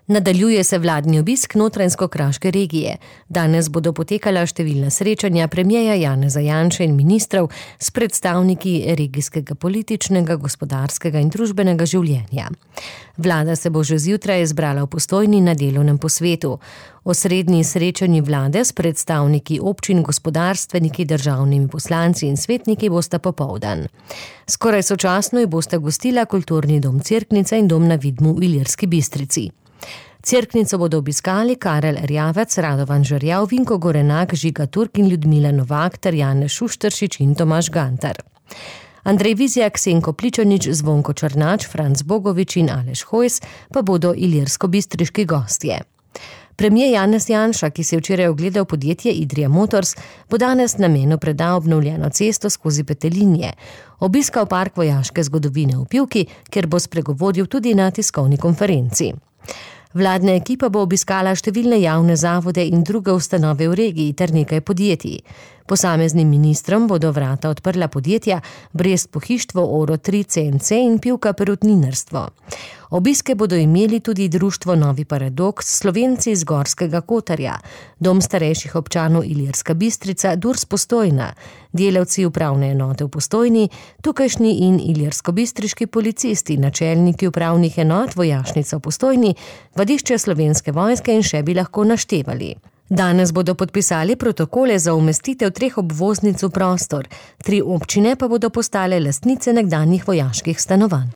Nadaljuje se vladni obisk notranjsko-kraške regije. Danes bodo potekala številna srečanja premierja Janeza Janše in ministrov s predstavniki regijskega političnega, gospodarskega in družbenega življenja. Vlada se bo že zjutraj zbrala v Postojni na delovnem posvetu. Osrednji srečanji vlade s predstavniki občin, gospodarstveniki, državnimi poslanci in svetniki bosta popoldan. Skoraj sočasno jo bosta gostila Kulturni dom Cerknica in dom na Vidmu v Ilirski Bistrici. Cerknico bodo obiskali Karel Erjavec, Radovan Žerjav, Vinko Gorenak, Žiga Turk in Ljudmila Novak ter Janez Šušteršič in Tomaž Gantar. Andrej Vizjak, Senko Pličanič, Zvonko Črnač, Franc Bogovič in Aleš Hojs pa bodo ilirsko-bistriški gostje. Premier Janez Janša, ki se je včeraj ogledal podjetje Idrija Motors, bo danes namenu predal obnovljeno cesto skozi Petelinje. Obiskal park vojaške zgodovine v Pivki, kjer bo spregovoril tudi na tiskovni konferenci. Vladna ekipa bo obiskala številne javne zavode in druge ustanove v regiji ter nekaj podjetij. Posameznim ministrom bodo vrata odprla podjetja Brest Pohištvo, Oro 3, CNC in Pivka Perutninarstvo. Obiske bodo imeli tudi društvo Novi Paradoks, Slovenci iz Gorskega Kotarja, Dom starejših občanov Ilirska Bistrica, Durs Postojna, delavci upravne enote v Postojni, tukajšnji in ilirsko-bistriški policisti, načelniki upravnih enot, vojašnica v Postojni, vadišče Slovenske vojske in še bi lahko naštevali. Danes bodo podpisali protokole za umestitev 3 obvoznic v prostor, 3 občine pa bodo postale lastnice nekdanjih vojaških stanovanj.